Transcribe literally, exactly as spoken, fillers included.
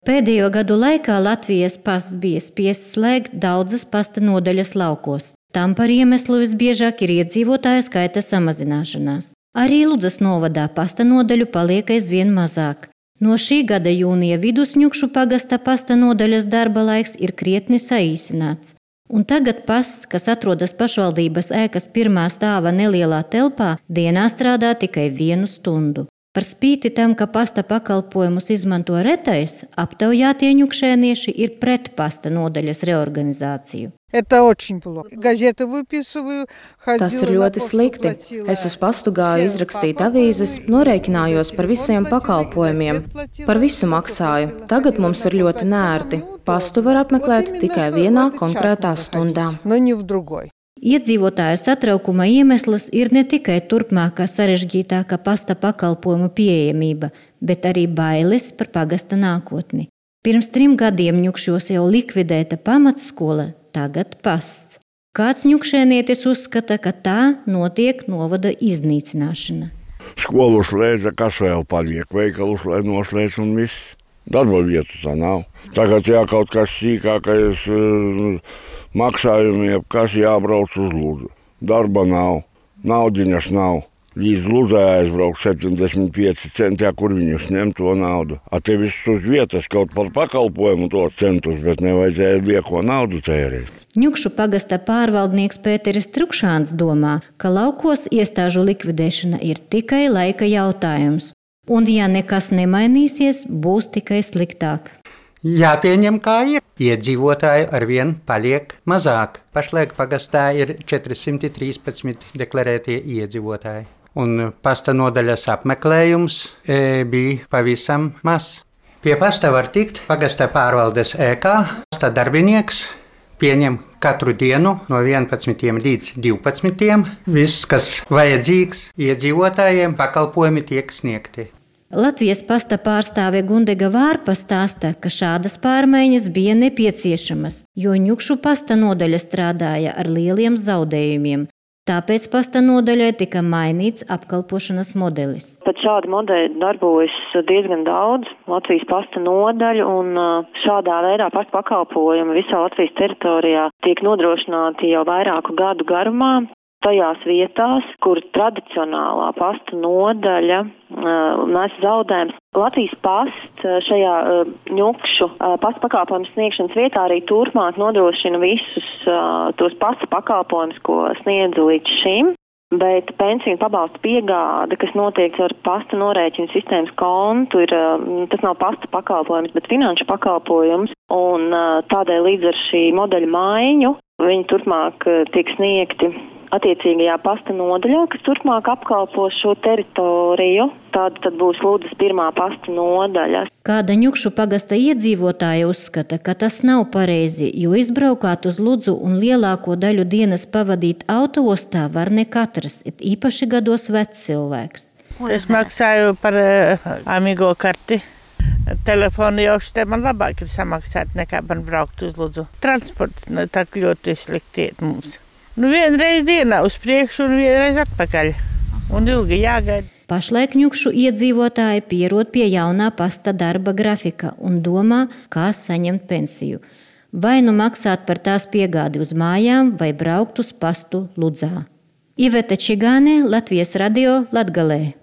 Pēdējo gadu laikā Latvijas pasts bija spiests slēgt daudzas pasta nodaļas laukos. Tam par iemeslu visbiežāk ir iedzīvotāju skaita samazināšanās. Arī Ludzas novadā pasta nodaļu paliek aizvien mazāk. No šī gada jūnija vidus Ņukšu pagasta pasta nodaļas darba laiks ir krietni saīsināts. Un tagad pasts, kas atrodas pašvaldības ēkas pirmā stāva nelielā telpā, dienā strādā tikai vienu stundu. Par spīti tam, ka pasta pakalpojumus izmanto retais, aptaujātie ņukšēnieši ir pret pasta nodaļas reorganizāciju. Tas ir ļoti slikti. Es uz pastu gāju izrakstīt avīzes, norēķinājos par visiem pakalpojumiem. Par visu maksāju. Tagad mums ir ļoti nērti. Pastu var apmeklēt tikai vienā konkrētā stundā. Iedzīvotāju satraukuma iemesls ir ne tikai turpmākā sarežģītākā pasta pakalpojumu pieejamība, bet arī bailes par pagasta nākotni. Pirms trim gadiem Ņukšos jau likvidēta pamatskola, tagad pasts. Kāds ņukšēnietis uzskata, ka tā notiek novada iznīcināšana. Skolu slēdza, kas vēl paliek, veikalu slēdz noslēdz un viss. Darba vietu tā nav. Tagad jā, kaut kas sīkākais maksājumi, kas jābrauc uz Ludzu. Darba nav, naudiņas nav. Līdz Ludzai aizbrauc septiņdesmit pieci centi, kur viņus ņem to naudu. A te viss uz vietas kaut par pakalpojumu to centus, bet nevajadzēja lieko naudu tērēt. Ņukšu pagasta pārvaldnieks Pēteris Trukšāns domā, ka laukos iestāžu likvidēšana ir tikai laika jautājums. Un ja nekas nemainīsies, būs tikai sliktāk. Jāpieņem kā ir. Iedzīvotāju arvien paliek mazāk. Pašlaik pagastā ir četri simti trīspadsmit deklarētie iedzīvotāji. Un pasta nodaļas apmeklējums e, bija pavisam maz. Pie pasta var tikt pagasta pārvaldes ēkā. Pasta darbinieks pieņem katru dienu no vienpadsmitiem līdz divpadsmitiem. Viss, kas vajadzīgs iedzīvotājiem, pakalpojumi tiek sniegti. Latvijas pasta pārstāve Gundega Vārpa stāsta, ka šādas pārmaiņas bija nepieciešamas, jo Ņukšu pasta nodaļa strādāja ar lieliem zaudējumiem. Tāpēc pasta nodaļai tika mainīts apkalpošanas modelis. Tad šādi modeļi darbojas diezgan daudz Latvijas pasta nodaļu, un šādā veidā pasta pakalpojumi visā Latvijas teritorijā tiek nodrošināti jau vairāku gadu garumā. Tajās vietās, kur tradicionālā pasta nodaļa uh, nes zaudējums. Latvijas past šajā uh, Ņukšu uh, pasta pakalpojumu sniegšanas vietā arī turpmāk nodrošina visus uh, tos pasta pakalpojumus, ko sniedzu līdz šim. Bet pensiju un pabalstu piegāde, kas notiek ar pasta norēķinu sistēmas kontu, ir, uh, tas nav pasta pakalpojums, bet finanšu pakalpojums. Un uh, tādēļ līdz ar šī modeļa maiņu viņi turpmāk uh, tiek sniegti attiecīgajā pasta nodaļā, kas turpmāk apkalpo šo teritoriju. Tāda tad būs Ludzas pirmā pasta nodaļa. Kāda Ņukšu pagasta iedzīvotāja uzskata, ka tas nav pareizi, jo izbraukāt uz Ludzu un lielāko daļu dienas pavadīt autoostā var ne katrs, īpaši gados vecs cilvēks. Es maksāju par uh, Amigo karti. Telefonu jau šitē man labāk ir samaksāt nekā man braukt uz Ludzu. Transports ne, tā ļoti sliktiet mums. Nu, vienreiz dienā uz priekšu un vienreiz atpakaļ. Un ilgi jāgaida. Pašlaik Ņukšu iedzīvotāji pierod pie jaunā pasta darba grafika un domā, kā saņemt pensiju. Vai nu maksāt par tās piegādi uz mājām, vai braukt uz pastu Ludzā. Iveta Čigāne, Latvijas radio, Latgalē.